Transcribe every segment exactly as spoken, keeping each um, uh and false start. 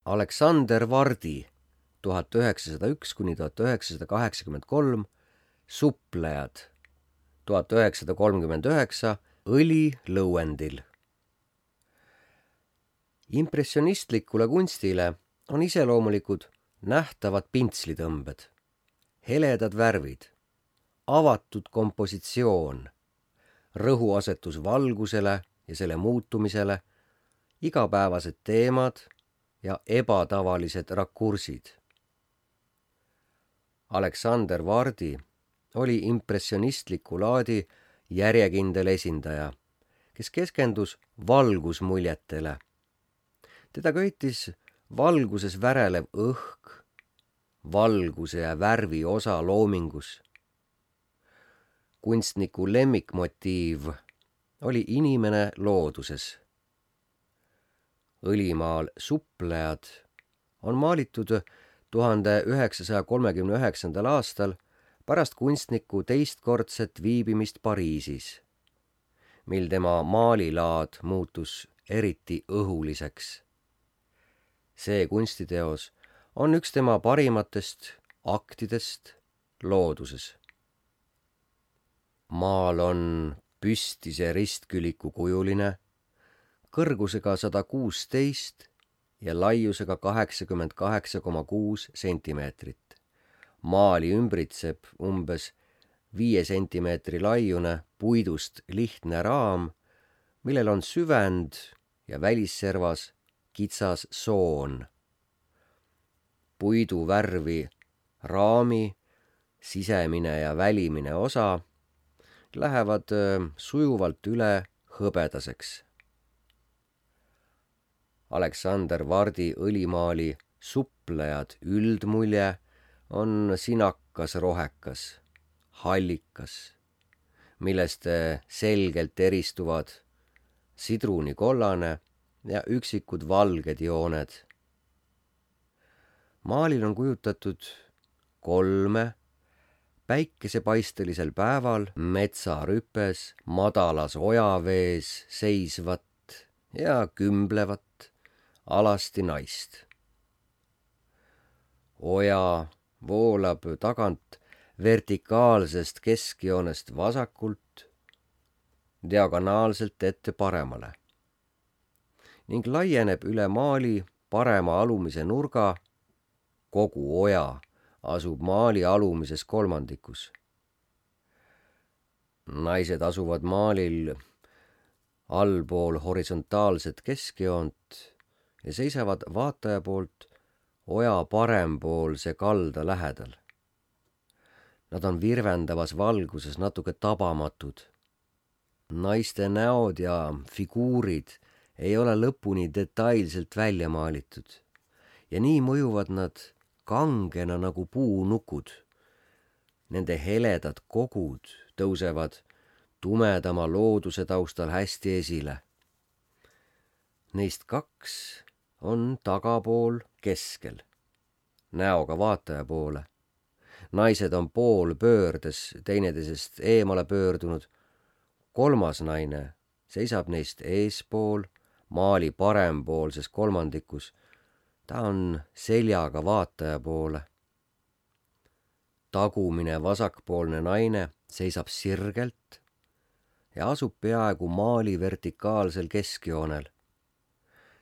Aleksander Vardi tuhat üheksasada üks kuni tuhat üheksasada kaheksakümmend kolm, Suplejad tuhat üheksasada kolmkümmend üheksa, Õli lõuendil. Impressionistlikule kunstile on iseloomulikud nähtavad pintslitõmbed, heledad värvid, avatud kompositsioon, rõhuasetus valgusele ja selle muutumisele, igapäevased teemad ja ebatavalised rakursid. Aleksander Vardi oli impressionistliku laadi järjekindel esindaja, kes keskendus valgusmuljetele. Teda köitis valguses värelev õhk, valguse ja värvi osa loomingus. Kunstniku lemmikmotiiv oli inimene looduses. Õlimaal Suplejad on maalitud tuhande üheksasaja kolmekümne üheksandal aastal pärast kunstniku teistkordset viibimist Pariisis, mil tema maalilaad muutus eriti õhuliseks. See kunstiteos on üks tema parimatest aktidest looduses. Maal on püstise ristküliku kujuline, kõrgusega sada kuusteist ja laiusega kaheksakümmend kaheksa koma kuus sentimeetrit. Maali ümbritseb umbes viie sentimeetri laiune puidust lihtne raam, millel on süvend ja välisservas kitsas soon. Puidu värvi raami sisemine ja välimine osa lähevad sujuvalt üle hõbedaseks. Aleksander Vardi õlimaali Suplejad üldmulje on sinakas rohekas, hallikas, millest selgelt eristuvad sidrunikollane ja üksikud valged jooned. Maalil on kujutatud kolme päikesepaistelisel päeval metsarüpes madalas ojavees seisvat ja kümblevat alasti naist. Oja voolab tagant vertikaalsest keskjoonest vasakult diagonaalselt ette paremale ning laieneb üle maali parema alumise nurga. Kogu oja asub maali alumises kolmandikus. Naised asuvad maalil allpool horisontaalset keskjoont ja seisavad vaataja poolt oja parempoolse kalda lähedal. Nad on virvendavas valguses natuke tabamatud. Naiste näod ja figuurid ei ole lõpuni detailselt välja maalitud ja nii mõjuvad nad kangena nagu puunukud. Nende heledad kogud tõusevad tumedama looduse taustal hästi esile. Neist kaks on tagapool keskel, näoga vaataja poole. Naised on pool pöördes teineteisest eemale pöördunud. Kolmas naine seisab neist eespool, maali parempoolses kolmandikus. Ta on seljaga vaataja poole. Tagumine vasakpoolne naine seisab sirgelt ja asub peaaegu maali vertikaalsel keskjoonel.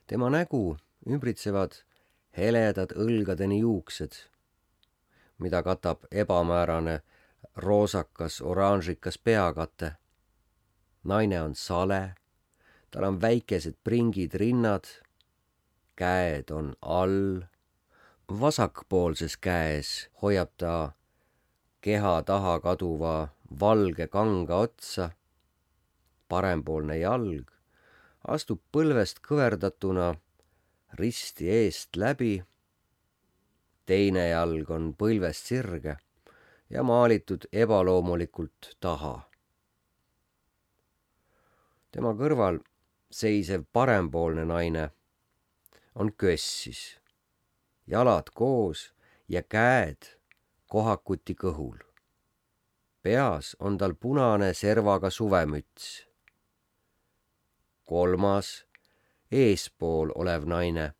Tema nägu ümbritsevad heledad õlgadeni juuksed, mida katab ebamäärane roosakas oranžikas peakate. Naine on sale, tal on väikesed pringid rinnad, käed on all. Vasakpoolses käes hoiab ta keha taha kaduva valge kanga otsa. Parempoolne jalg astub põlvest kõverdatuna risti eest läbi. Teine jalg on põlvest sirge ja maalitud ebaloomulikult taha. Tema kõrval seisev parempoolne naine on kössis, jalad koos ja käed kohakuti kõhul. Peas on tal punane servaga suvemüts. Kolmas, eespool olev naine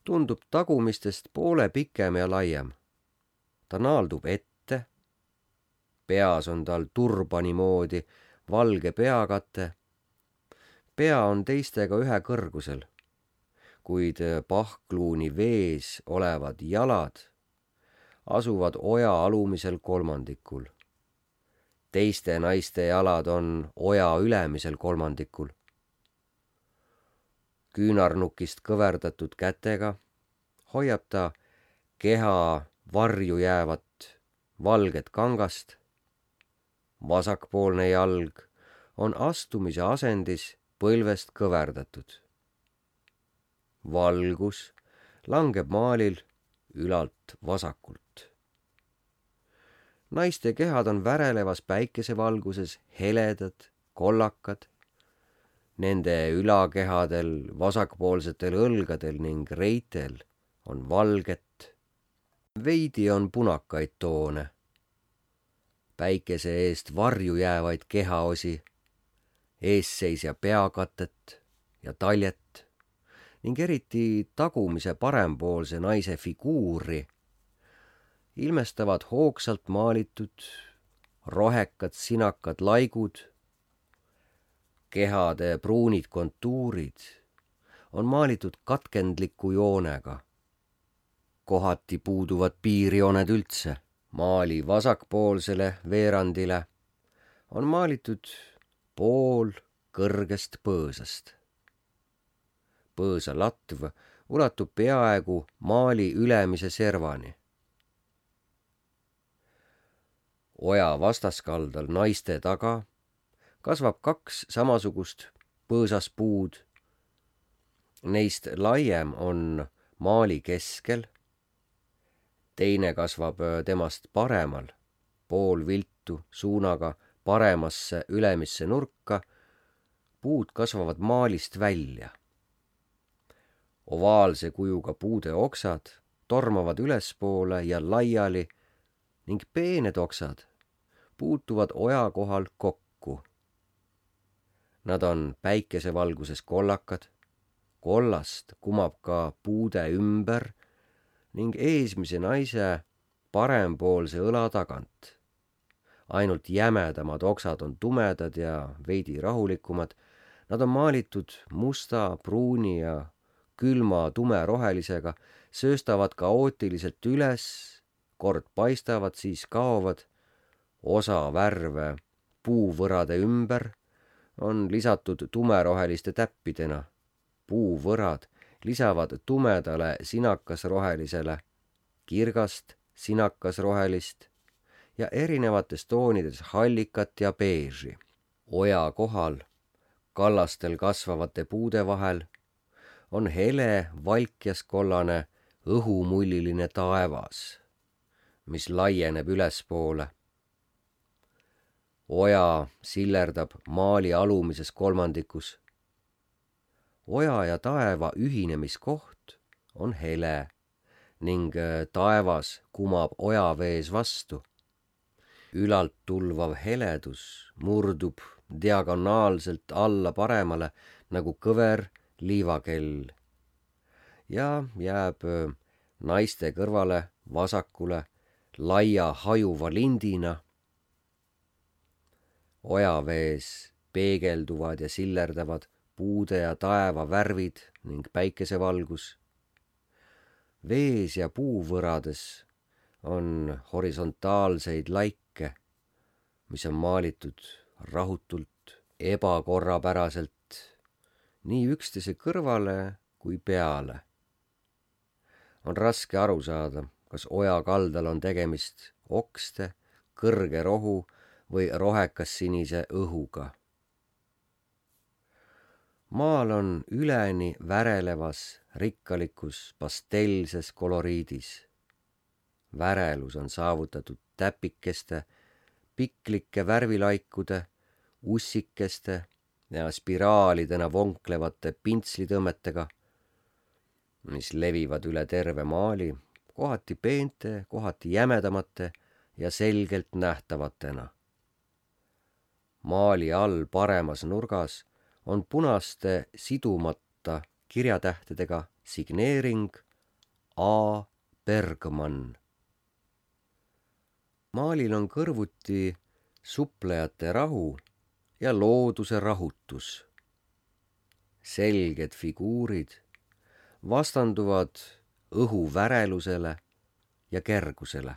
tundub tagumistest poole pikem ja laiem. Ta naaldub ette, peas on tal turbani moodi valge peakate. Pea on teistega ühe kõrgusel, kuid pahkluuni vees olevad jalad asuvad oja alumisel kolmandikul. Teiste naiste jalad on oja ülemisel kolmandikul. Küünarnukist kõverdatud kätega hoiab ta keha varju jäävat valget kangast. Vasakpoolne jalg on astumise asendis põlvest kõverdatud. Valgus langeb maalil ülalt vasakult. Naiste kehad on värelevas päikesevalguses heledad, kollakad. Nende ülakehadel, vasakpoolsetel õlgadel ning reitel on valget. Veidi on punakaid toone. Päikese eest varju jäävaid kehaosi, eesseisja peakatet ja taljet ning eriti tagumise parempoolse naise figuuri ilmestavad hoogsalt maalitud rohekad sinakad laigud. Kehade pruunid kontuurid on maalitud katkendliku joonega. Kohati puuduvad piirjooned üldse. Maali vasakpoolsele veerandile on maalitud pool kõrgest põõsast. Põõsa latv ulatub peaaegu maali ülemise servani. Oja vastaskaldal naiste taga kasvab kaks samasugust põõsaspuud. Neist laiem on maali keskel, teine kasvab temast paremal, pool viltu suunaga paremasse ülemisse nurka. Puud kasvavad maalist välja. Ovaalse kujuga puude oksad tormavad ülespoole ja laiali ning peened oksad puutuvad oja kohal kokku. Nad on päikesevalguses kollakad, kollast kumab ka puude ümber ning eesmise naise parempoolse õla tagant. Ainult jämedamad oksad on tumedad ja veidi rahulikumad. Nad on maalitud musta, pruuni ja külma tumerohelisega, sööstavad kaootiliselt üles, kord paistavad, siis kaovad. Osa värve puuvõrade ümber on lisatud tumeroheliste täppidena. Puuvõrad lisavad tumedale sinakasrohelisele, kirgast sinakasrohelist ja erinevates toonides hallikat ja beeži. Oja kohal, kallastel kasvavate puude vahel, on hele valkjaskollane õhumulliline taevas, mis laieneb ülespoole. Oja sillerdab maali alumises kolmandikus. Oja ja taeva ühinemiskoht on hele ning taevas kumab ojavees vastu. Ülalt tulvav heledus murdub diagonaalselt alla paremale nagu kõver liivakell ja jääb naiste kõrvale vasakule laia hajuva lindina. Ojavees peegelduvad ja sillerdavad puude ja taeva värvid ning päikesevalgus. Vees ja puuvõrades on horisontaalseid laike, mis on maalitud rahutult, ebakorrapäraselt, nii üksteise kõrvale kui peale. On raske aru saada, kas oja kaldal on tegemist okste, kõrge rohu või rohekas sinise õhuga. Maal on üleni värelevas, rikkalikus, pastellses koloriidis. Värelus on saavutatud täpikeste, piklike värvilaikude, ussikeste ja spiraalidena vonklevate pintslitõmmetega, mis levivad üle terve maali, kohati peente, kohati jämedamate ja selgelt nähtavatena. Maali all paremas nurgas on punaste sidumata kirjatähtedega signeering A. Bergman. Maalil on kõrvuti suplejate rahu ja looduse rahutus. Selged figuurid vastanduvad õhu värelusele ja kergusele.